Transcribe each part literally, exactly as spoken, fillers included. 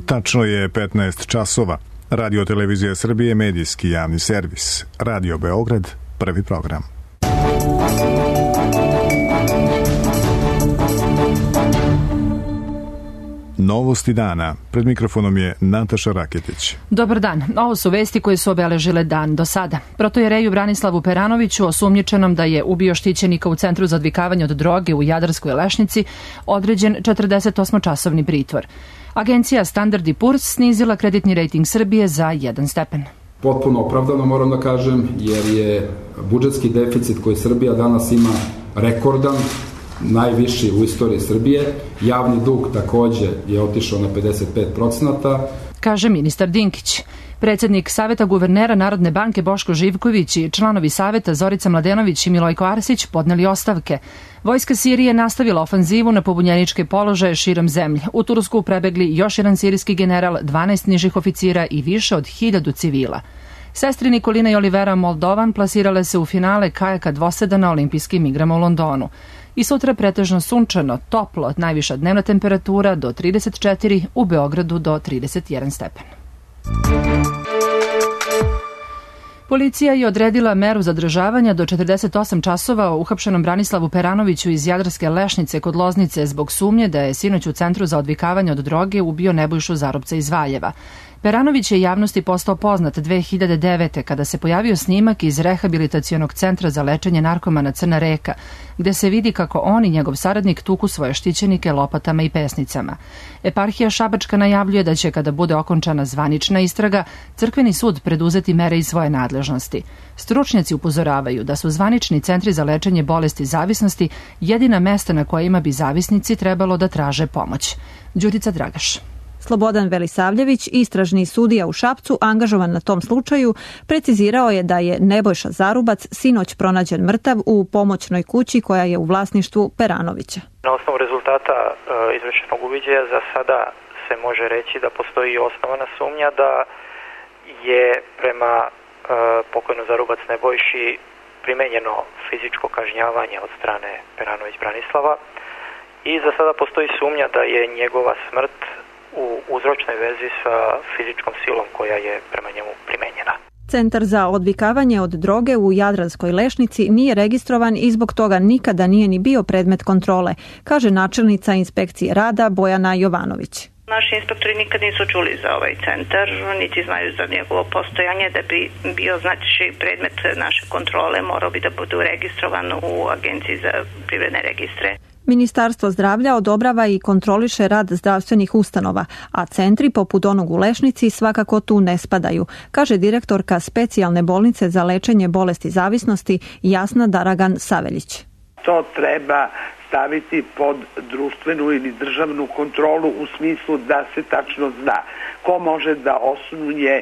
Tačno je petnaest časova. Radio Televizija Srbije, medijski javni servis. Radio Beograd, prvi program. Novosti dana. Pred mikrofonom je Nataša Raketić. Dobar dan. Ovo su vesti koje su obeležile dan do sada. Protojereju Branislavu Peranoviću, osumnjičenom da je ubio štićenika u Centru za odvikavanje od droge u Jadarskoj Lešnici, određen četrdesetosmočasovni pritvor. Agencija Standard and Poor's snizila kreditni rejting Srbije za jedan stepen. Potpuno opravdano moram da kažem, jer je budžetski deficit koji Srbija danas ima rekordan, najviši u istoriji Srbije. Javni dug takođe je otišao na pedeset pet procenata. Kaže ministar Dinkić. Predsednik Saveta guvernera Narodne banke Boško Živković i članovi Saveta Zorica Mladenović i Milojko Arsić podneli ostavke. Vojska Sirije nastavila ofanzivu na pobunjeničke položaje širom zemlje. U Tursku prebegli još jedan sirijski general, dvanaest nižih oficira i više od hiljadu civila. Sestri Nikolina i Olivera Moldovan plasirale se u finale kajaka dvoseda na olimpijskim igrama u Londonu. I sutra pretežno sunčano, toplo, najviša dnevna temperatura do trideset četiri, u Beogradu do trideset jedan stepen. Policija je odredila meru zadržavanja do četrdeset osam časova o uhapšenom Branislavu Peranoviću iz Jadarske Lešnice kod Loznice zbog sumnje da je sinoć u Centru za odvikavanje od droge ubio Nebojšu Zarubca iz Valjeva. Peranović je javnosti postao poznat dve hiljade devete. kada se pojavio snimak iz rehabilitacionog centra za lečenje narkomana Crna Reka, gde se vidi kako on i njegov saradnik tuku svoje štićenike lopatama i pesnicama. Eparhija Šabačka najavljuje da će, kada bude okončana zvanična istraga, crkveni sud preduzeti mere iz svoje nadležnosti. Stručnjaci upozoravaju da su zvanični centri za lečenje bolesti zavisnosti jedina mesta na kojima bi zavisnici trebalo da traže pomoć. Đurica Dragaš. Slobodan Velisavljević, istražni sudija u Šapcu, angažovan na tom slučaju, precizirao je da je Nebojša Zarubac sinoć pronađen mrtav u pomoćnoj kući koja je u vlasništvu Peranovića. Na osnovu rezultata e, izvršenog uviđaja za sada se može reći da postoji osnovana sumnja da je prema e, pokojnom Zarubac Nebojši primenjeno fizičko kažnjavanje od strane Peranović Branislava i za sada postoji sumnja da je njegova smrt u uzročnoj vezi sa fizičkom silom koja je prema njemu primenjena. Centar za odvikavanje od droge u Jadranskoj Lešnici nije registrovan i zbog toga nikada nije ni bio predmet kontrole, kaže načelnica inspekcije rada Bojana Jovanović. Naši inspektori nikad nisu čuli za ovaj centar, niti znaju za njegovo postojanje. Da bi bio znači predmet naše kontrole, morao bi da bude registrovan u Agenciji za privredne registre. Ministarstvo zdravlja odobrava i kontroliše rad zdravstvenih ustanova, a centri poput onog u Lešnici svakako tu ne spadaju, kaže direktorka specijalne bolnice za lečenje bolesti zavisnosti Jasna Daragan Saveljić. To treba staviti pod društvenu ili državnu kontrolu u smislu da se tačno zna ko može da osnuje,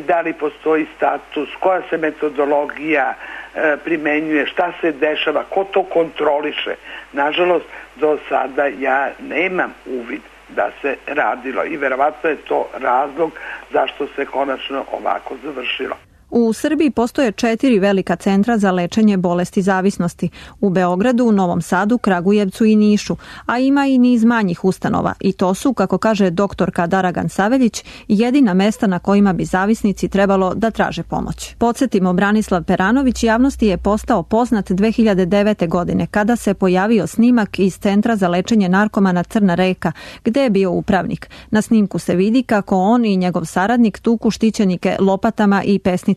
da li postoji status, koja se metodologija e, primenjuje, šta se dešava, ko to kontroliše. Nažalost, do sada ja nemam uvid da se radilo i verovatno je to razlog zašto se konačno ovako završilo. U Srbiji postoje četiri velika centra za lečenje bolesti zavisnosti. U Beogradu, Novom Sadu, Kragujevcu i Nišu, a ima i niz manjih ustanova. I to su, kako kaže doktorka Daragan Saveljić, jedina mesta na kojima bi zavisnici trebalo da traže pomoć. Podsjetimo, Branislav Peranović javnosti je postao poznat dve hiljade devete. godine, kada se pojavio snimak iz Centra za lečenje narkomana Crna Reka, gde je bio upravnik. Na snimku se vidi kako on i njegov saradnik tuku štićenike lopatama i pesnicama.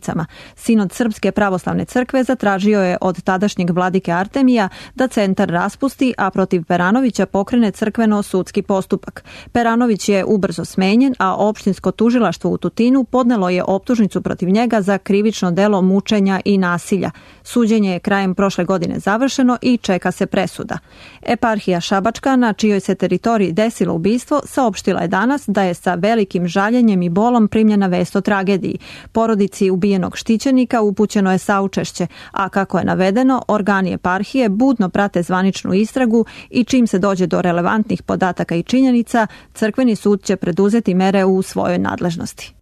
Sinod Srpske pravoslavne crkve zatražio je od tadašnjeg vladike Artemija da centar raspusti, a protiv Peranovića pokrene crkveno-sudski postupak. Peranović je ubrzo smenjen, a opštinsko tužilaštvo u Tutinu podnelo je optužnicu protiv njega za krivično delo mučenja i nasilja. Suđenje je krajem prošle godine završeno i čeka se presuda. Eparhija Šabačka, na čijoj se teritoriji desilo ubistvo, saopštila je danas da je sa velikim žaljenjem i bolom primljena vest o tragediji. Porodici ubijenog štićenika upućeno je saučešće, a kako je navedeno, organi eparhije budno prate zvaničnu istragu i čim se dođe do relevantnih podataka i činjenica, crkveni sud će preduzeti mere u svojoj nadležnosti.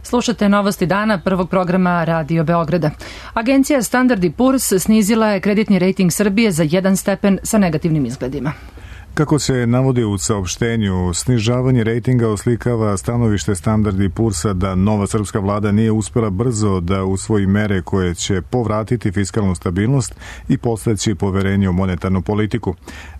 Slušate novosti dana prvog programa Radio Beograda. Agencija Standard and Poor's snizila je kreditni rejting Srbije za jedan stepen sa negativnim izgledima. Kako se navodi u saopštenju, snižavanje rejtinga oslikava stanovište Standard and Poorsa da nova srpska vlada nije uspela brzo da usvoji mere koje će povratiti fiskalnu stabilnost i postaći poverenje u monetarnu politiku.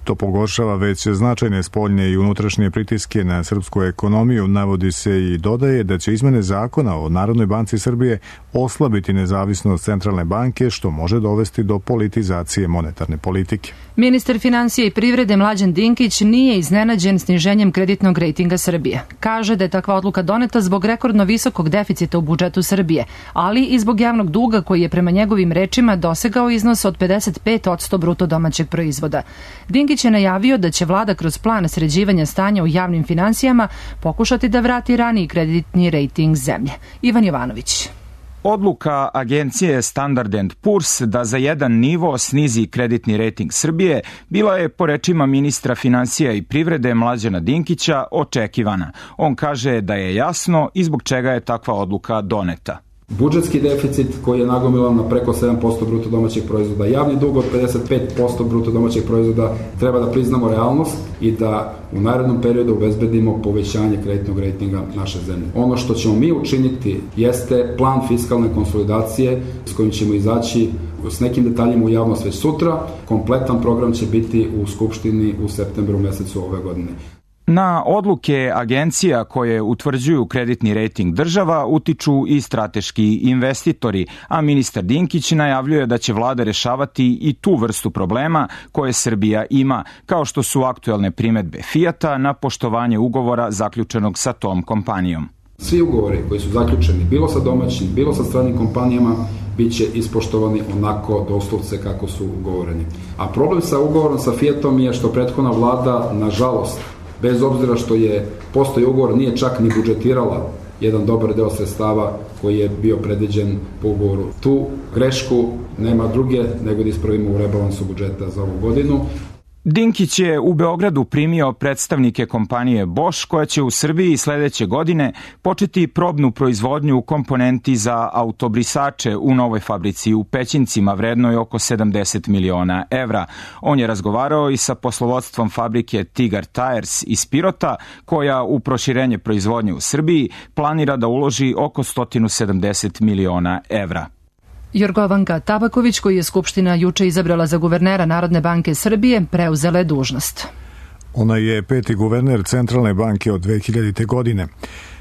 To pogoršava već značajne spoljne i unutrašnje pritiske na srpsku ekonomiju, navodi se i dodaje da će izmene zakona o Narodnoj banci Srbije oslabiti nezavisnost centralne banke, što može dovesti do politizacije monetarne politike. Ministar finansija i privrede Mlađan Dinkić nije iznenađen sniženjem kreditnog rejtinga Srbije. Kaže da je takva odluka doneta zbog rekordno visokog deficita u budžetu Srbije, ali i zbog javnog duga koji je prema njegovim rečima dosegao iznos od pedeset pet posto bruto domaćeg proizvoda. Dinkić je najavio da će vlada kroz plan sređivanja stanja u javnim finansijama pokušati da vrati raniji kreditni rejting zemlje. Ivan Jovanović. Odluka agencije Standard and Poor's da za jedan nivo snizi kreditni rejting Srbije bila je, po rečima ministra finansija i privrede Mlađana Dinkića, očekivana. On kaže da je jasno i zbog čega je takva odluka doneta. Budžetski deficit koji je nagomilan na preko sedam posto bruto domaćeg proizvoda, javni dug od pedeset pet posto bruto domaćeg proizvoda, treba da priznamo realnost i da u narednom periodu obezbedimo povećanje kreditnog rejtinga naše zemlje. Ono što ćemo mi učiniti jeste plan fiskalne konsolidacije s kojim ćemo izaći s nekim detaljima u javnost već sutra. Kompletan program će biti u Skupštini u septembru mesecu ove godine. Na odluke agencija koje utvrđuju kreditni rejting država utiču i strateški investitori, a ministar Dinkić najavljuje da će vlada rešavati i tu vrstu problema koje Srbija ima, kao što su aktuelne primedbe Fijata na poštovanje ugovora zaključenog sa tom kompanijom. Svi ugovori koji su zaključeni, bilo sa domaćim, bilo sa stranim kompanijama, bit će ispoštovani onako doslovce kako su ugovoreni. A problem sa ugovorom sa Fijatom je što prethodna vlada, nažalost, bez obzira što je postoji ugovor, nije čak ni budžetirala jedan dobar deo sredstava koji je bio predviđen po ugovoru. Tu grešku nema druge nego da ispravimo u rebalansu budžeta za ovu godinu. Dinkić je u Beogradu primio predstavnike kompanije Bosch, koja će u Srbiji sledeće godine početi probnu proizvodnju komponenti za autobrisače u novoj fabrici u Pećincima vrednoj oko sedamdeset miliona evra. On je razgovarao i sa poslovodstvom fabrike Tigar Tires iz Pirota, koja u proširenje proizvodnje u Srbiji planira da uloži oko sto sedamdeset miliona evra. Jorgovanka Tabaković, koji je Skupština juče izabrala za guvernera Narodne banke Srbije, preuzela je dužnost. Ona je peti guverner Centralne banke od dve hiljadite. godine.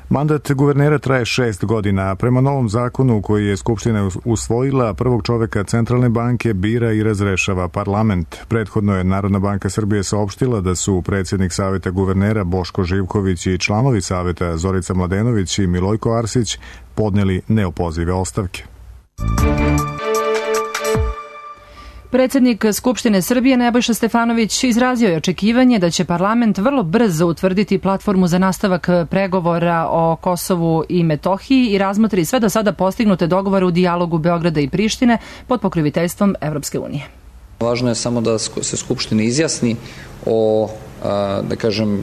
Mandat guvernera traje šest godina, a prema novom zakonu koji je Skupština usvojila, prvog čoveka Centralne banke bira i razrešava parlament. Prethodno je Narodna banka Srbije saopštila da su predsjednik Saveta guvernera Boško Živković i članovi Saveta Zorica Mladenović i Milojko Arsić podneli neopozive ostavke. Predsednik Skupštine Srbije Nebojša Stefanović izrazio je očekivanje da će parlament vrlo brzo utvrditi platformu za nastavak pregovora o Kosovu i Metohiji i razmotri sve do sada postignute dogovore u dijalogu Beograda i Prištine pod pokroviteljstvom Evropske unije. Važno je samo da se Skupština izjasni o, da kažem,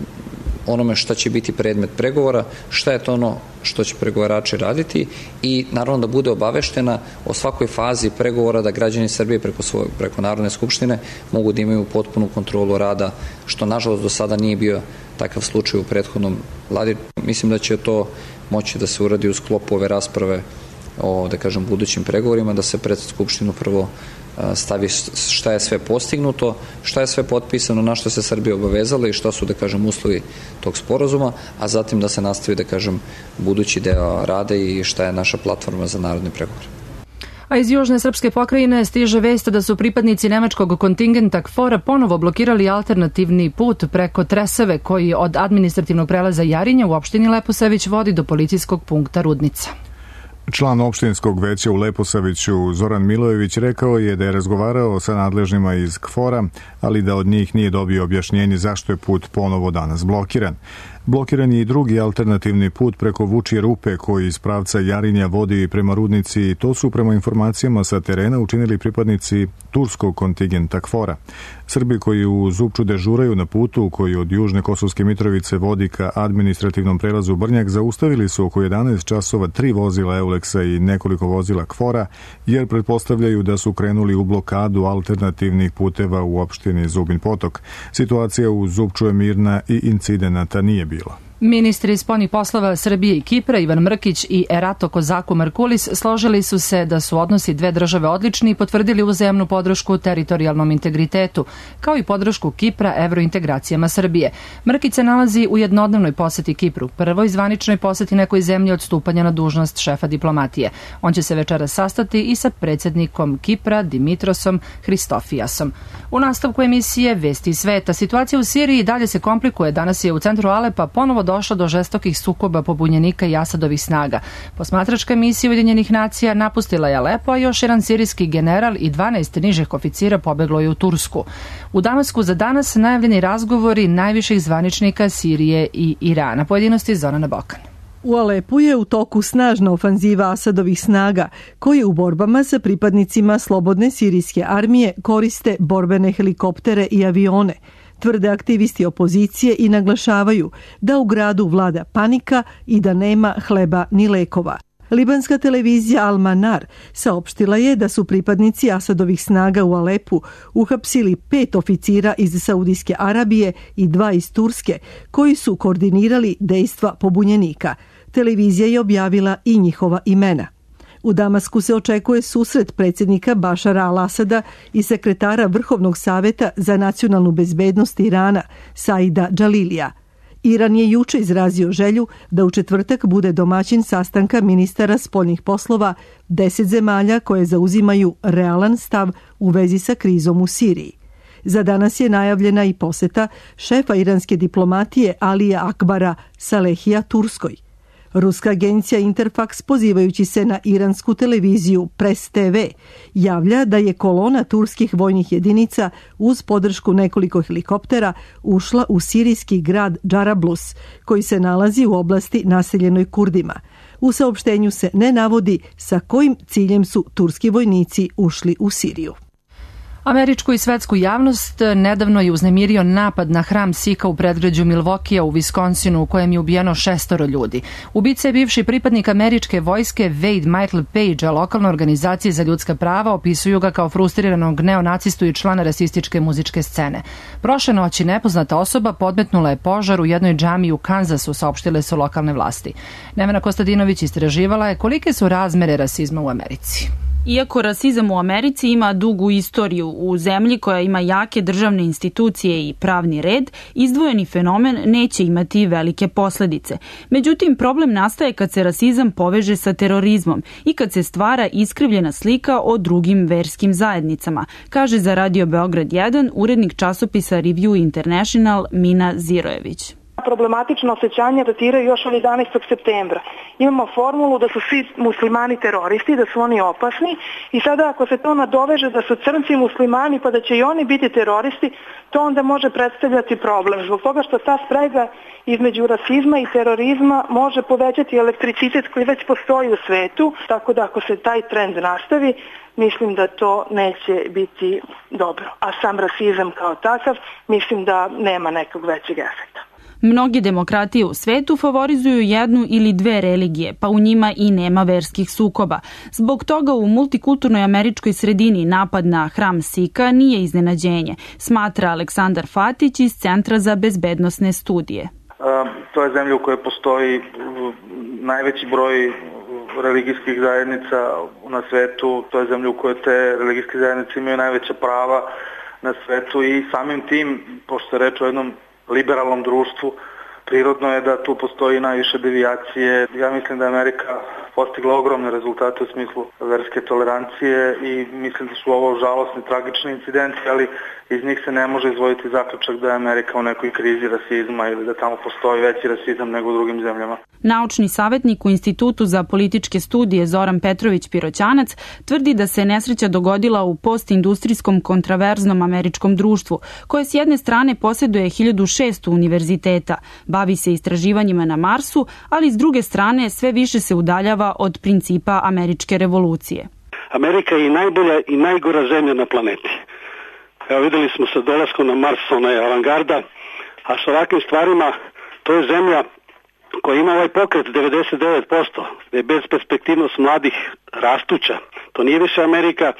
onome šta će biti predmet pregovora, šta je to ono što će pregovarači raditi i naravno da bude obaveštena o svakoj fazi pregovora, da građani Srbije preko, svoje, preko Narodne skupštine mogu da imaju potpunu kontrolu rada, što nažalost do sada nije bio takav slučaj u prethodnom vladi. Mislim da će to moći da se uradi u sklopu ove rasprave o, da kažem, budućim pregovorima, da se pred Skupštinu prvo stavi šta je sve postignuto, šta je sve potpisano, na što se Srbija obavezala i šta su, da kažem, uslovi tog sporazuma, a zatim da se nastavi, da kažem, budući deo rada i šta je naša platforma za narodne pregovore. A iz južne srpske pokrajine stiže vest da su pripadnici nemačkog kontingenta KFOR-a ponovo blokirali alternativni put preko Tresave koji od administrativnog prelaza Jarinja u opštini Leposavić vodi do policijskog punkta Rudnica. Član opštinskog veća u Leposaviću Zoran Milojević rekao je da je razgovarao sa nadležnima iz KFOR-a, ali da od njih nije dobio objašnjenje zašto je put ponovo danas blokiran. Blokiran je i drugi alternativni put preko Vučje rupe koji iz pravca Jarinja vodi prema Rudnici i to su prema informacijama sa terena učinili pripadnici turskog kontingenta KFOR-a. Srbi koji u Zupču dežuraju na putu koji od Južne Kosovske Mitrovice vodi ka administrativnom prelazu Brnjak zaustavili su oko jedanaest časova tri vozila Euleksa i nekoliko vozila Kfora jer pretpostavljaju da su krenuli u blokadu alternativnih puteva u opštini Zubin Potok. Situacija u Zupču je mirna i incidenata nije bilo. Ministri spoljnih poslova Srbije i Kipra Ivan Mrkić i Erato Kozaku Markulis složili su se da su odnosi dve države odlični i potvrdili uzajamnu podršku teritorijalnom integritetu, kao i podršku Kipra evrointegracijama Srbije. Mrkić se nalazi u jednodnevnoj poseti Kipru, prvoj zvaničnoj poseti nekoj zemlji od stupanja na dužnost šefa diplomatije. On će se večeras sastati i sa predsjednikom Kipra Dimitrosom Hristofijasom. U nastavku emisije Vesti sveta, situacija u Siriji dalje se komplikuje. Danas je u centru Alepa ponovo došlo do žestokih sukoba pobunjenika i Asadovih snaga. Posmatračka misija Ujedinjenih nacija napustila je Alepo, a još jedan sirijski general i dvanaest nižih oficira pobeglo je u Tursku. U Damasku za danas najavljeni razgovori najviših zvaničnika Sirije i Irana. Pojedinosti Zorana Bokan. U Alepu je u toku snažna ofanziva Asadovih snaga, koje u borbama sa pripadnicima slobodne sirijske armije koriste borbene helikoptere i avione. Tvrde aktivisti opozicije i naglašavaju da u gradu vlada panika i da nema hleba ni lekova. Libanska televizija Al-Manar saopštila je da su pripadnici Asadovih snaga u Alepu uhapsili pet oficira iz Saudijske Arabije i dva iz Turske, koji su koordinirali dejstva pobunjenika. Televizija je objavila i njihova imena. U Damasku se očekuje susret predsjednika Bašara al-Asada i sekretara Vrhovnog saveta za nacionalnu bezbednost Irana, Saida Džalilija. Iran je juče izrazio želju da u četvrtak bude domaćin sastanka ministara spoljnih poslova deset zemalja koje zauzimaju realan stav u vezi sa krizom u Siriji. Za danas je najavljena i poseta šefa iranske diplomatije Alija Akbara Salehija Turskoj. Ruska agencija Interfax, pozivajući se na iransku televiziju Press te ve, javlja da je kolona turskih vojnih jedinica uz podršku nekoliko helikoptera ušla u sirijski grad Džarablus, koji se nalazi u oblasti naseljenoj Kurdima. U saopštenju se ne navodi sa kojim ciljem su turski vojnici ušli u Siriju. Američku i svetsku javnost nedavno je uznemirio napad na hram Sika u predgrađu Milwaukeea u Viskonsinu, u kojem je ubijeno šestoro ljudi. Ubica je bivši pripadnik američke vojske Wade Michael Page, a lokalne organizacije za ljudska prava opisuju ga kao frustriranog neonacistu i člana rasističke muzičke scene. Prošle noći nepoznata osoba podmetnula je požar u jednoj džamiji u Kansasu, saopštile su lokalne vlasti. Nevena Kostadinović istraživala je kolike su razmere rasizma u Americi. Iako rasizam u Americi ima dugu istoriju, u zemlji koja ima jake državne institucije i pravni red, izdvojeni fenomen neće imati velike posledice. Međutim, problem nastaje kad se rasizam poveže sa terorizmom i kad se stvara iskrivljena slika o drugim verskim zajednicama, kaže za Radio Beograd jedan urednik časopisa Review International Mina Zirojević. Problematično osjećanje datiraju još od jedanaestog septembra. Imamo formulu da su svi muslimani teroristi, da su oni opasni i sada ako se to nadoveže da su crnci muslimani pa da će i oni biti teroristi, to onda može predstavljati problem. Zbog toga što ta sprega između rasizma i terorizma može povećati elektricitet koji već postoji u svetu, tako da ako se taj trend nastavi, mislim da to neće biti dobro. A sam rasizam kao takav, mislim da nema nekog većeg efekta. Mnoge demokratije u svetu favorizuju jednu ili dve religije, pa u njima i nema verskih sukoba. Zbog toga u multikulturnoj američkoj sredini napad na hram Sika nije iznenađenje, smatra Aleksandar Fatić iz Centra za bezbednosne studije. To je zemlja u kojoj postoji najveći broj religijskih zajednica na svetu, to je zemlja u kojoj te religijske zajednice imaju najveća prava na svetu i samim tim, pošto je reč o jednom liberalnom društvu, prirodno je da tu postoji najviše devijacije. Ja mislim da je Amerika postigla ogromne rezultate u smislu verske tolerancije i mislim da su ovo žalosni, tragični incidenti, ali iz njih se ne može izvojiti zaključak da je Amerika u nekoj krizi rasizma ili da tamo postoji veći rasizam nego u drugim zemljama. Naučni savjetnik u Institutu za političke studije Zoran Petrović Piroćanac tvrdi da se nesreća dogodila u postindustrijskom kontraverznom američkom društvu, koje s jedne strane posjeduje hiljadu šesto univerziteta, bavi se istraživanjima na Marsu, ali s druge strane sve više se udaljava od principa američke revolucije. Amerika je i najbolja i najgora zemlja na planeti. Evo videli smo sa dolaskom na Mars, ona je avangarda, a sa ovakvim stvarima to je zemlja koja ima ovaj pokret devedeset devet posto, gde je bezperspektivnost mladih rastuća. To nije više Amerika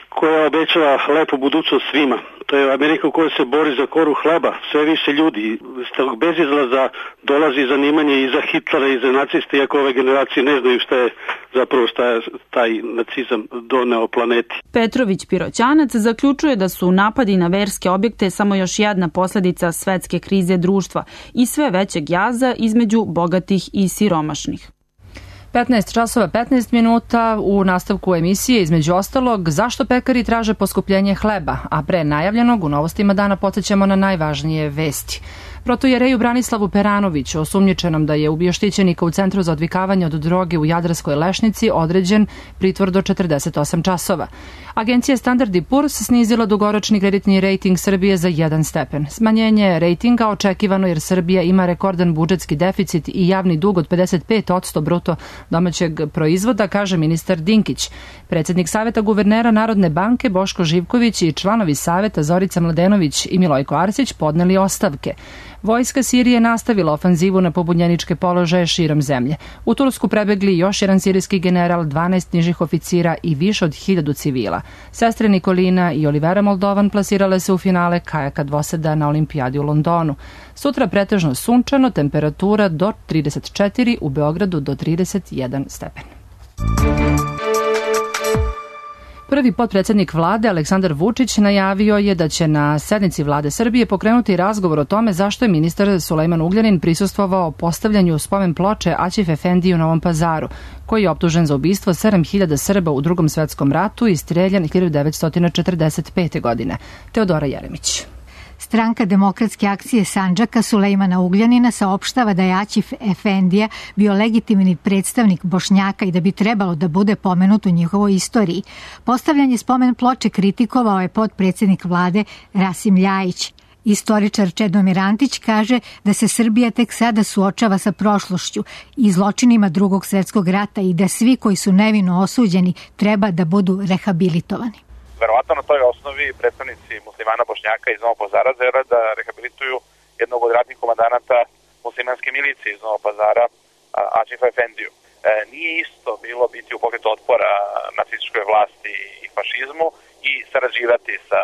koja obećava lepu budućnost svima. To je Amerika u kojoj se bori za koru hleba, sve više ljudi. S tog bezizlaza dolazi zanimanje i za Hitlera i za naciste, iako ove generacije ne znaju šta je zapravo šta je taj nacizam doneo planeti. Petrović Piroćanac zaključuje da su napadi na verske objekte samo još jedna posledica svetske krize društva i sve većeg jaza između bogatih i siromašnih. petnaest časova petnaest minuta u nastavku emisije, između ostalog, zašto pekari traže poskupljenje hleba, a pre najavljenog u novostima dana podsjećamo na najvažnije vesti. Protojereju Branislavu Peranoviću, osumnjičenom da je ubio štićenika u Centru za odvikavanje od droge u Jadarskoj Lešnici, određen pritvor do četrdeset osam časova. Agencija Standard and Poor's snizila dugoročni kreditni rejting Srbije za jedan stepen. Smanjenje rejtinga očekivano jer Srbija ima rekordan budžetski deficit i javni dug od pedeset pet posto bruto domaćeg proizvoda, kaže ministar Dinkić. Predsjednik Saveta guvernera Narodne banke Boško Živković i članovi Saveta Zorica Mladenović i Milojko Arsić podneli ostavke. Vojska Sirije nastavila ofanzivu na pobunjeničke položaje širom zemlje. U Tursku prebegli još jedan sirijski general, dvanaest nižih oficira i više od hiljadu civila. Sestre Nikolina i Olivera Moldovan plasirale se u finale kajaka dvoseda na olimpijadi u Londonu. Sutra pretežno sunčano, temperatura do trideset četiri, u Beogradu do trideset jedan stepen. Prvi potpredsjednik vlade Aleksandar Vučić najavio je da će na sednici vlade Srbije pokrenuti razgovor o tome zašto je ministar Sulejman Ugljanin prisustvovao postavljanju spomen ploče Aćif Efendiji u Novom Pazaru, koji je optužen za ubistvo sedam hiljada Srba u Drugom svetskom ratu i streljan hiljadu devetsto četrdeset pete. godine. Teodora Jeremić. Stranka Demokratske akcije Sandžaka Sulejmana Ugljanina saopštava da je Aćif Efendija bio legitimni predstavnik Bošnjaka i da bi trebalo da bude pomenut u njihovoj istoriji. Postavljanje spomen ploče kritikovao je potpredsjednik vlade Rasim Ljajić. Istoričar Čedomir Antić kaže da se Srbija tek sada suočava sa prošlošću i zločinima Drugog svjetskog rata i da svi koji su nevino osuđeni treba da budu rehabilitovani. Verovatno na toj osnovi predstavnici muslimana Bošnjaka iz Novog Pazara žele da rehabilituju jednog od ratnih komandanata muslimanske milicije iz Novog Pazara, Aćifa Efendiju. E, nije isto bilo biti u pokretu otpora nacističkoj vlasti i fašizmu i sarađivati sa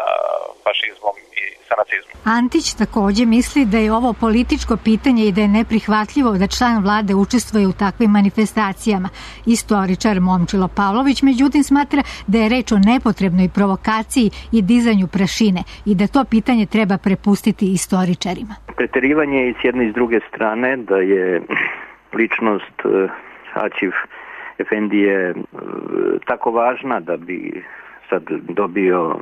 fašizmom i sa nacizmom. Antić također misli da je ovo političko pitanje i da je neprihvatljivo da član vlade učestvuje u takvim manifestacijama. Istoričar Momčilo Pavlović međutim smatra da je reč o nepotrebnoj provokaciji i dizanju prašine i da to pitanje treba prepustiti istoričarima. Preterivanje i s jedne i s druge strane da je ličnost Aćif Efendije tako važna da bi sad dobio,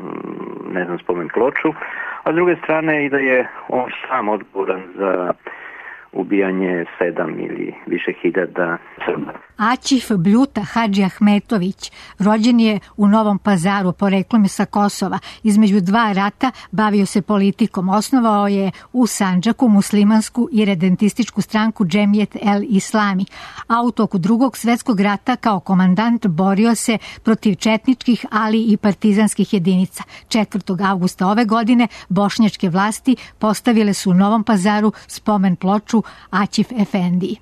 ne znam, spomen ploču, a s druge strane i da je on sam odgovoran za ubijanje sedam ili više hiljada Srba. Aćif Bljuta Hadži Ahmetović rođen je u Novom Pazaru, poreklom je sa Kosova. Između dva rata bavio se politikom. Osnovao je u Sandžaku muslimansku i redentističku stranku Džemijet el Islami, a u toku Drugog svjetskog rata kao komandant borio se protiv četničkih, ali i partizanskih jedinica. četvrtog avgusta ove godine bošnjačke vlasti postavile su u Novom Pazaru spomen ploču Aćif Efendiji.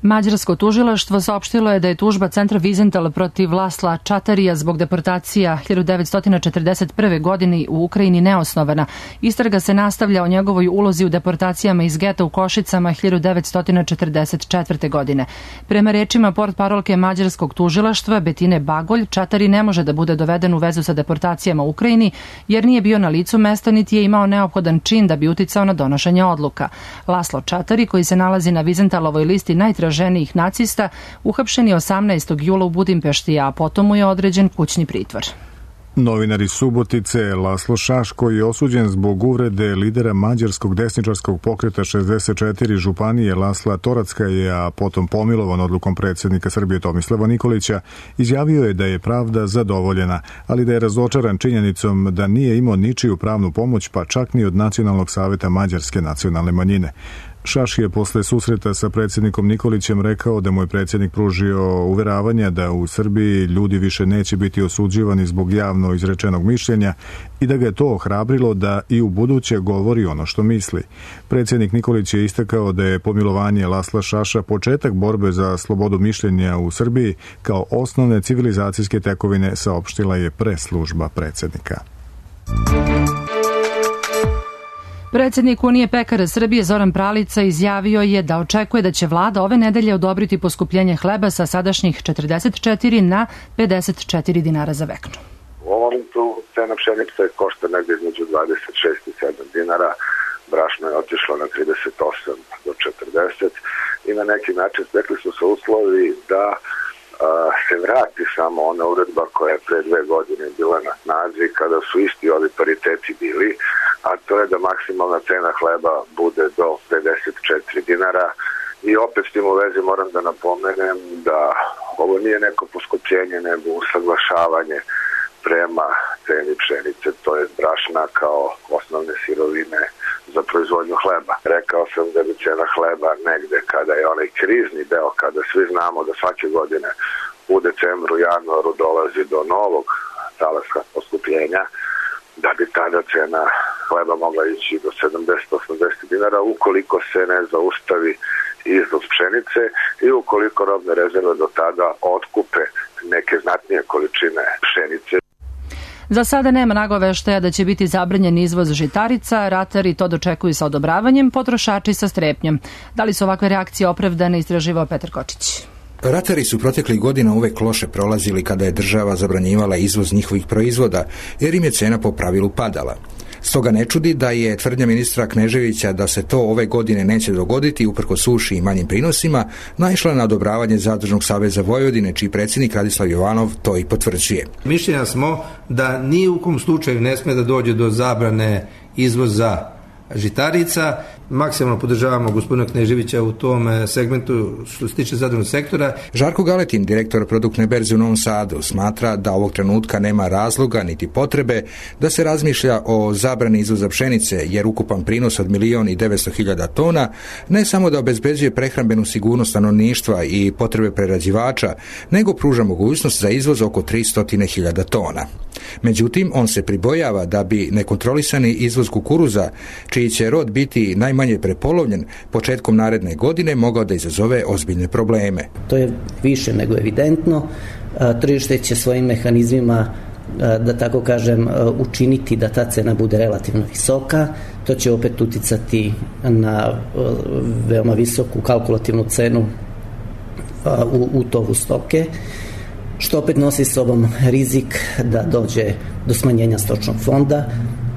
Mađarsko tužilaštvo saopštilo je da je tužba centra Vizental protiv Lasla Čatarija zbog deportacija hiljadu devetsto četrdeset prve. godine u Ukrajini neosnovana. Istraga se nastavlja o njegovoj ulozi u deportacijama iz geta u Košicama hiljadu devetsto četrdeset četvrte. godine. Prema rečima portparolke mađarskog tužilaštva Betine Bagolj, Čatari ne može da bude doveden u vezu sa deportacijama u Ukrajini jer nije bio na licu mesta niti je imao neophodan čin da bi uticao na donošenje odluka. Laslo Čatari, koji se nalazi na Vizentalovoj listi najtraženijih ženih nacista, uhapšen je osamnaestog jula u Budimpešti, a potom mu je određen kućni pritvor. Novinar iz Subotice Laslo Šaš, koji je osuđen zbog uvrede lidera mađarskog desničarskog pokreta šezdeset četiri županije Lasla Torackaja, a potom pomilovan odlukom predsjednika Srbije Tomislava Nikolića, izjavio je da je pravda zadovoljena, ali da je razočaran činjenicom da nije imao ničiju pravnu pomoć, pa čak ni od Nacionalnog saveta mađarske nacionalne manjine. Šaš je posle susreta sa predsjednikom Nikolićem rekao da mu je predsjednik pružio uveravanja da u Srbiji ljudi više neće biti osuđivani zbog javno izrečenog mišljenja i da ga je to ohrabrilo da i u buduće govori ono što misli. Predsjednik Nikolić je istakao da je pomilovanje Lasla Šaša početak borbe za slobodu mišljenja u Srbiji kao osnovne civilizacijske tekovine, saopštila je preslužba predsjednika. Predsjednik Unije pekara Srbije Zoran Pralica izjavio je da očekuje da će vlada ove nedelje odobriti poskupljenje hleba sa sadašnjih četrdeset četiri na pedeset četiri dinara za veknu. U ovom momentu cena pšenice košta negdje između dvadeset šest i sedam dinara, brašno je otišlo na trideset osam do četrdeset i na neki način stekli su se uslovi da a, se vrati samo ona uredba koja je pre dve godine bila na snazi kada su isti ovi pariteti bili, a to je da maksimalna cena hleba bude do pedeset četiri dinara. I opet s tim u vezi moram da napomenem da ovo nije neko poskupljenje, nego usaglašavanje prema ceni pšenice, to je brašna kao osnovne sirovine za proizvodnju hleba. Rekao sam da bi cena hleba negde kada je onaj krizni deo, kada svi znamo da svake godine u decembru, januaru dolazi do novog talaska poskupljenja, da bi tada cena hleba mogla ići do sedamdeset do osamdeset dinara ukoliko se ne zaustavi izvoz pšenice i ukoliko robne rezerve do tada otkupe neke znatnije količine pšenice. Za sada nema nagoveštaja da će biti zabranjen izvoz žitarica, ratari to dočekuju sa odobravanjem, potrošači sa strepnjom. Da li su ovakve reakcije opravdane, istraživao Petar Kočić. Ratari su proteklih godina uvek loše prolazili kada je država zabranjivala izvoz njihovih proizvoda, jer im je cena po pravilu padala. Stoga ne čudi da je tvrdnja ministra Kneževića da se to ove godine neće dogoditi uprkos suši i manjim prinosima naišla na odobravanje Zadružnog saveza Vojvodine, čiji predsjednik Radislav Jovanov to i potvrđuje. Mišljenja smo da ni u kom slučaju ne sme da dođe do zabrane izvoza žitarica. Maksimalno podržavamo gospodina Kneževića u tom segmentu što se tiče zadružnog sektora. Žarko Galetin, direktor produktne berze u Novom Sadu, smatra da ovog trenutka nema razloga niti potrebe da se razmišlja o zabrani izvoza pšenice, jer ukupan prinos od milion i devetsto hiljada tona ne samo da obezbeđuje prehrambenu sigurnost stanovništva i potrebe prerađivača, nego pruža mogućnost za izvoz oko tristo hiljada tona. Međutim, on se pribojava da bi nekontrolisani izvoz kukuruza, čiji će rod biti najmanje prepolovljen, početkom naredne godine mogao da izazove ozbiljne probleme. To je više nego evidentno. Tržište će svojim mehanizmima, da tako kažem, učiniti da ta cena bude relativno visoka. To će opet uticati na veoma visoku kalkulativnu cenu u, u tovu stoke, što opet nosi s sobom rizik da dođe do smanjenja stočnog fonda,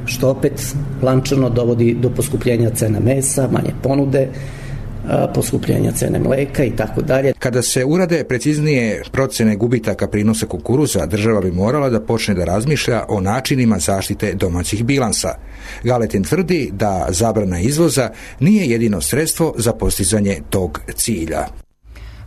što opet lančano dovodi do poskupljenja cena mesa, manje ponude, poskupljenja cene mleka i tako dalje. Kada se urade preciznije procene gubitaka prinosa kukuruza, država bi morala da počne da razmišlja o načinima zaštite domaćih bilansa. Galetin tvrdi da zabrana izvoza nije jedino sredstvo za postizanje tog cilja.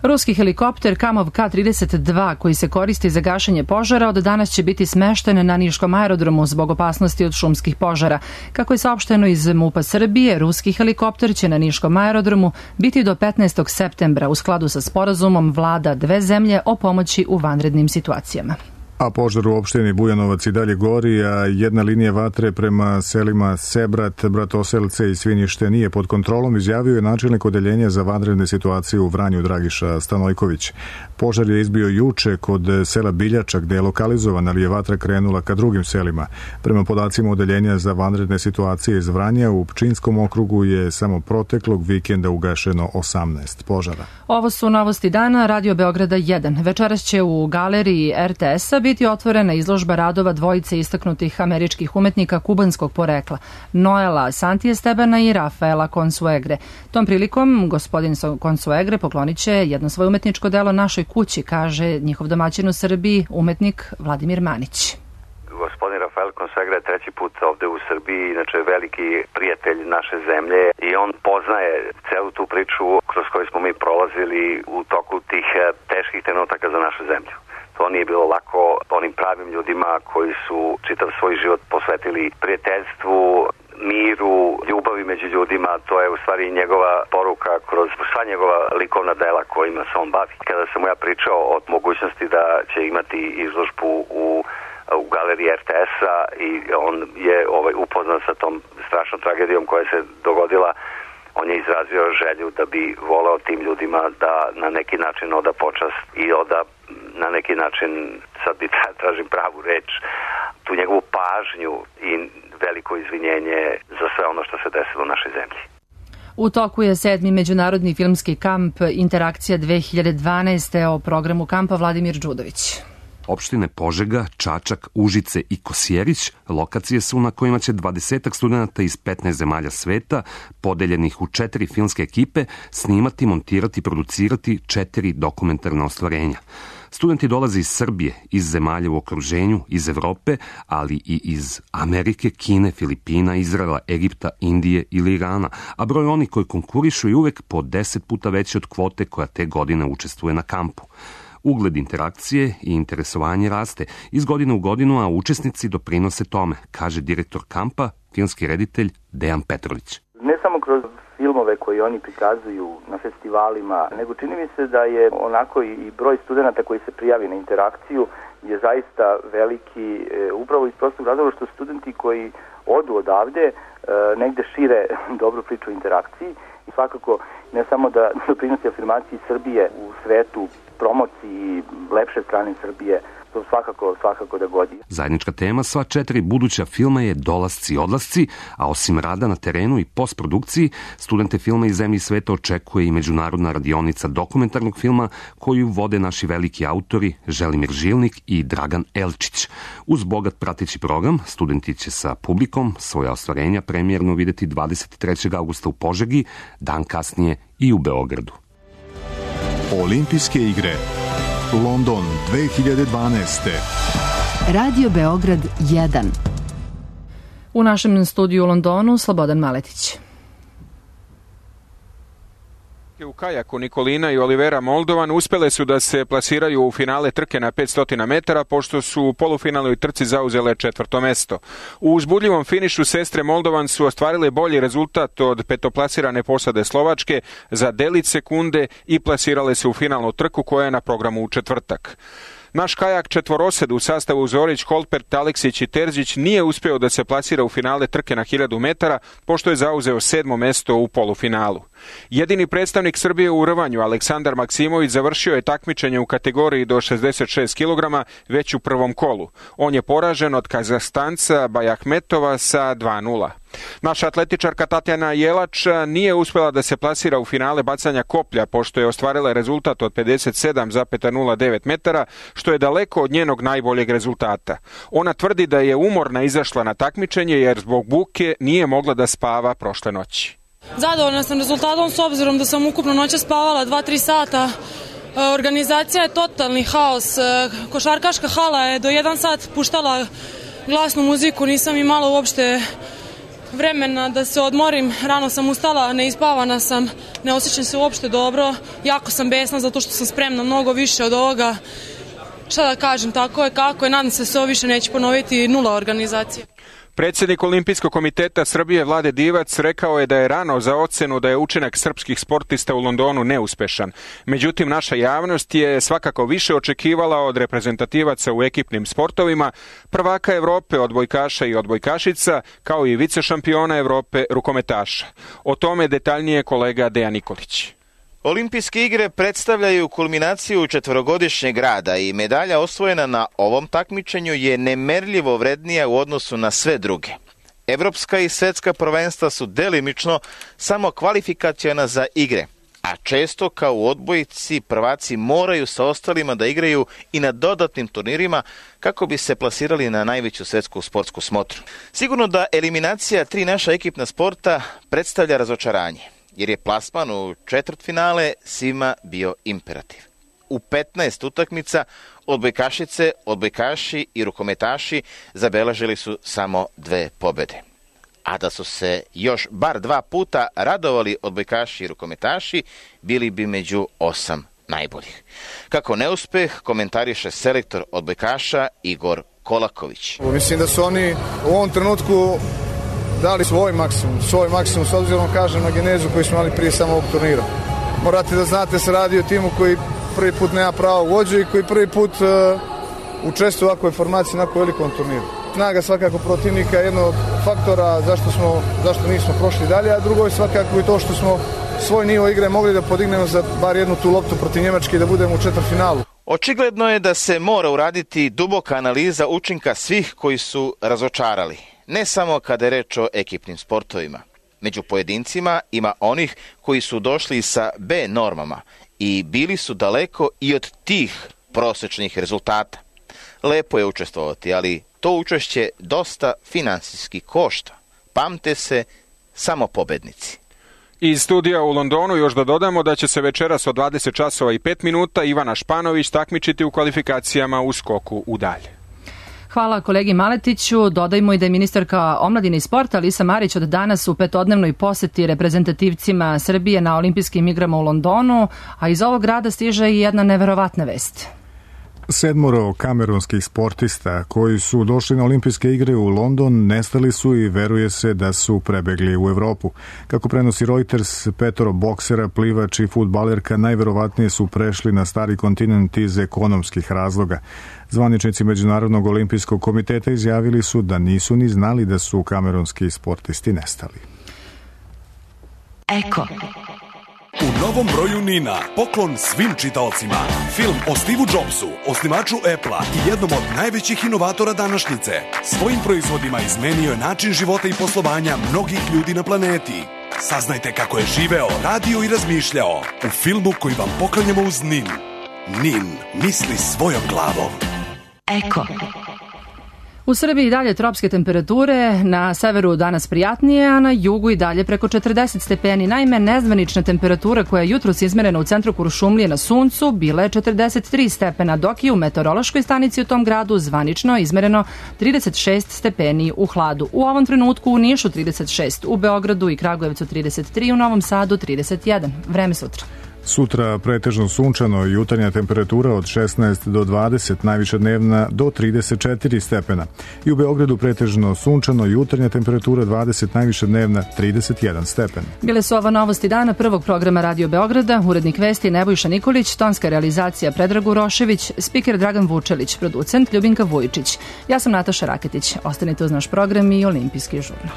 Ruski helikopter Kamov Ka trideset dva koji se koristi za gašenje požara od danas će biti smešten na Niškom aerodromu zbog opasnosti od šumskih požara. Kako je saopšteno iz MUP-a Srbije, ruski helikopter će na Niškom aerodromu biti do petnaestog septembra u skladu sa sporazumom vlada dve zemlje o pomoći u vanrednim situacijama. A požar u opštini Bujanovac i dalje gori, a jedna linija vatre prema selima Sebrat, Bratoselce i Svinjište nije pod kontrolom, izjavio je načelnik odeljenja za vanredne situacije u Vranju Dragiša Stanojković. Požar je izbio juče kod sela Biljača gde je lokalizovan, ali je vatra krenula ka drugim selima. Prema podacima odeljenja za vanredne situacije iz Vranja, u Pčinskom okrugu je samo proteklog vikenda ugašeno osamnaest požara. Ovo su novosti dana Radio Beograda jedan. Večeras će u galeriji er te es-a biti otvorena izložba radova dvojice istaknutih američkih umetnika kubanskog porekla, Noela Santiestebana i Rafaela Consuegre. Tom prilikom gospodin Consuegre poklonit će jedno svoje umetničko delo našoj kući, kaže njihov domaćin u Srbiji, umetnik Vladimir Manić. Gospodin Rafael Consuegre je treći put ovde u Srbiji, inače veliki prijatelj naše zemlje i on poznaje celu tu priču kroz koju smo mi prolazili u toku tih teških trenutaka za našu zemlju. To nije bilo lako onim pravim ljudima koji su čitav svoj život posvetili prijateljstvu, miru, ljubavi ljubavi među ljudima, to je u stvari njegova poruka kroz sva njegova likovna dela kojima se on bavi. Kada sam mu ja pričao o mogućnosti da će imati izložbu u u galeriji er te es-a i on je ovaj, upoznat sa tom strašnom tragedijom koja se dogodila, on je izrazio želju da bi voleo tim ljudima da na neki način oda počast i oda na neki način, sad bi tražim pravu reč, tu njegovu pažnju i veliko izvinjenje za sve ono što se desilo u našoj zemlji. U toku je sedmi međunarodni filmski kamp Interakcija dve hiljade dvanaeste. O programu kampa Vladimir Đudović. Opštine Požega, Čačak, Užice i Kosjerić lokacije su na kojima će dvadesetak studenta iz petnaest zemalja sveta, podeljenih u četiri filmske ekipe, snimati, montirati i producirati četiri dokumentarna ostvarenja. Studenti dolaze iz Srbije, iz zemalja u okruženju, iz Evrope, ali i iz Amerike, Kine, Filipina, Izraela, Egipta, Indije ili Irana, a broj onih koji konkurišu je uvek po deset puta veći od kvote koja te godine učestvuje na kampu. Ugled interakcije i interesovanje raste iz godine u godinu, a učesnici doprinose tome, kaže direktor kampa, filmski reditelj Dejan Petrović. Ne samo kroz filmove koje oni prikazuju na festivalima, nego čini mi se da je onako i broj studenta koji se prijavi na interakciju je zaista veliki, upravo iz prostog razloga što studenti koji odu odavde negde šire dobru priču o interakciji i svakako ne samo da doprinosi afirmaciji Srbije u svetu, promociji lepše strane Srbije, to svakako, svakako da godi. Zajednička tema sva četiri buduća filma je dolasci i odlasci, a osim rada na terenu i postprodukciji, studente filma iz zemlji i sveta očekuje i međunarodna radionica dokumentarnog filma koju vode naši veliki autori Želimir Žilnik i Dragan Elčić. Uz bogat prateći program, studenti će sa publikom svoja ostvarenja premijerno videti dvadeset trećeg avgusta u Požegi, dan kasnije i u Beogradu. Olimpijske igre London dve hiljade dvanaeste. Radio Beograd jedan. U našem studiju u Londonu Slobodan Maletić. U kajaku Nikolina i Olivera Moldovan uspele su da se plasiraju u finale trke na petsto metara, pošto su u polufinalnoj trci zauzele četvrto mesto. U uzbudljivom finišu sestre Moldovan su ostvarile bolji rezultat od petoplasirane posade Slovačke za delić sekunde i plasirale se u finalnu trku koja je na programu u četvrtak. Naš kajak četvorosed u sastavu Zorić, Holpert, Aleksić i Terzić nije uspeo da se plasira u finale trke na hiljadu metara, pošto je zauzeo sedmo mesto u polufinalu. Jedini predstavnik Srbije u rvanju, Aleksandar Maksimović, završio je takmičenje u kategoriji do šezdeset šest kilograma već u prvom kolu. On je poražen od Kazahstanca Bajahmetova sa dva nula. Naša atletičarka Tatjana Jelač nije uspela da se plasira u finale bacanja koplja, pošto je ostvarila rezultat od pedeset sedam zarez nula devet metara, što je daleko od njenog najboljeg rezultata. Ona tvrdi da je umorna izašla na takmičenje jer zbog buke nije mogla da spava prošle noći. Zadovoljna sam rezultatom s obzirom da sam ukupno noća spavala dva do tri sata. Organizacija je totalni haos. Košarkaška hala je do jedan sat puštala glasnu muziku, nisam imala uopšte vremena da se odmorim, rano sam ustala, neispavana sam, ne osjećam se uopšte dobro, jako sam besna zato što sam spremna mnogo više od ovoga. Šta da kažem, tako je kako je, nadam se da se ovo više neće ponoviti, nula organizacije. Predsjednik Olimpijskog komiteta Srbije Vlade Divac rekao je da je rano za ocenu da je učinak srpskih sportista u Londonu neuspešan. Međutim, naša javnost je svakako više očekivala od reprezentativaca u ekipnim sportovima, prvaka Evrope odbojkaša i odbojkašica, kao i vicešampiona Evrope rukometaša. O tome detaljnije kolega Dejan Nikolić. Olimpijske igre predstavljaju kulminaciju četvorogodišnjeg rada i medalja osvojena na ovom takmičenju je nemerljivo vrednija u odnosu na sve druge. Evropska i svetska prvenstva su delimično samo kvalifikaciona za igre, a često kao u odbojci prvaci moraju sa ostalima da igraju i na dodatnim turnirima kako bi se plasirali na najveću svetsku sportsku smotru. Sigurno da eliminacija tri naša ekipna sporta predstavlja razočaranje, jer je plasman u četvrtfinale svima bio imperativ. U petnaest utakmica odbojkašice, odbojkaši i rukometaši zabeležili su samo dve pobede. A da su se još bar dva puta radovali odbojkaši i rukometaši, bili bi među osam najboljih. Kako neuspeh komentariše selektor odbojkaša Igor Kolaković. Mislim da su oni u ovom trenutku dali svoj maksimum, svoj maksimum s obzirom, kažem, na genezu koju smo imali prije samog turnira. Morate da znate, se radi o timu koji prvi put nema pravo vođe i koji prvi put uh, učestvuje u ovakvoj formaciji na ovako velikom turniru. Snaga svakako protivnika je jedno od faktora zašto, smo, zašto nismo prošli dalje, a drugo je svakako i to što smo svoj nivo igre mogli da podignemo za bar jednu tu loptu protiv Njemačke i da budemo u četvrtfinalu. Očigledno je da se mora uraditi duboka analiza učinka svih koji su razočarali, ne samo kada je reč o ekipnim sportovima. Među pojedincima ima onih koji su došli sa B normama i bili su daleko i od tih prosečnih rezultata. Lepo je učestvovati, ali to učešće dosta finansijski košta. Pamte se samo pobednici. Iz studija u Londonu još da dodamo da će se večeras od dvadeset časova i pet minuta Ivana Španović takmičiti u kvalifikacijama u skoku u dalje. Hvala kolegi Maletiću. Dodajmo i da je ministarka omladine i sporta Alisa Marić od danas u petodnevnoj poseti reprezentativcima Srbije na olimpijskim igrama u Londonu, a iz ovog grada stiže i jedna neverovatna vest. Sedmoro kamerunskih sportista koji su došli na olimpijske igre u London nestali su i veruje se da su prebegli u Evropu. Kako prenosi Reuters, petoro boksera, plivač i fudbalerka najverovatnije su prešli na stari kontinent iz ekonomskih razloga. Zvaničnici Međunarodnog olimpijskog komiteta izjavili su da nisu ni znali da su kamerunski sportisti nestali. Eko. U novom broju Nina, poklon svim čitaocima. Film o Steve Jobsu, osnivaču Apple-a i jednom od najvećih inovatora današnjice. Svojim proizvodima izmenio je način života i poslovanja mnogih ljudi na planeti. Saznajte kako je živeo, radio i razmišljao u filmu koji vam poklanjamo uz Nin. Nin misli svojom glavom. Eko. U Srbiji i dalje tropske temperature, na severu danas prijatnije, a na jugu i dalje preko četrdeset stepeni. Naime, nezvanična temperatura koja je jutros izmerena u centru Kuršumlije na suncu bila je četrdeset tri stepena, dok je u meteorološkoj stanici u tom gradu zvanično izmereno trideset šest stepeni u hladu. U ovom trenutku u Nišu trideset šest, u Beogradu i Kragujevcu trideset tri, u Novom Sadu trideset jedan. Vreme sutra. Sutra pretežno sunčano, jutarnja temperatura od šesnaest do dvadeset, najviša dnevna do trideset četiri stepena. I u Beogradu pretežno sunčano, jutarnja temperatura dvadeset, najviša dnevna trideset jedan stepen. Bile su ova novosti dana prvog programa Radio Beograda, urednik vesti Nebojša Nikolić, tonska realizacija Predrag Urošević, spiker Dragan Vučelić, producent Ljubinka Vujičić. Ja sam Nataša Raketić. Ostanite uz naš program i Olimpijski žurnal.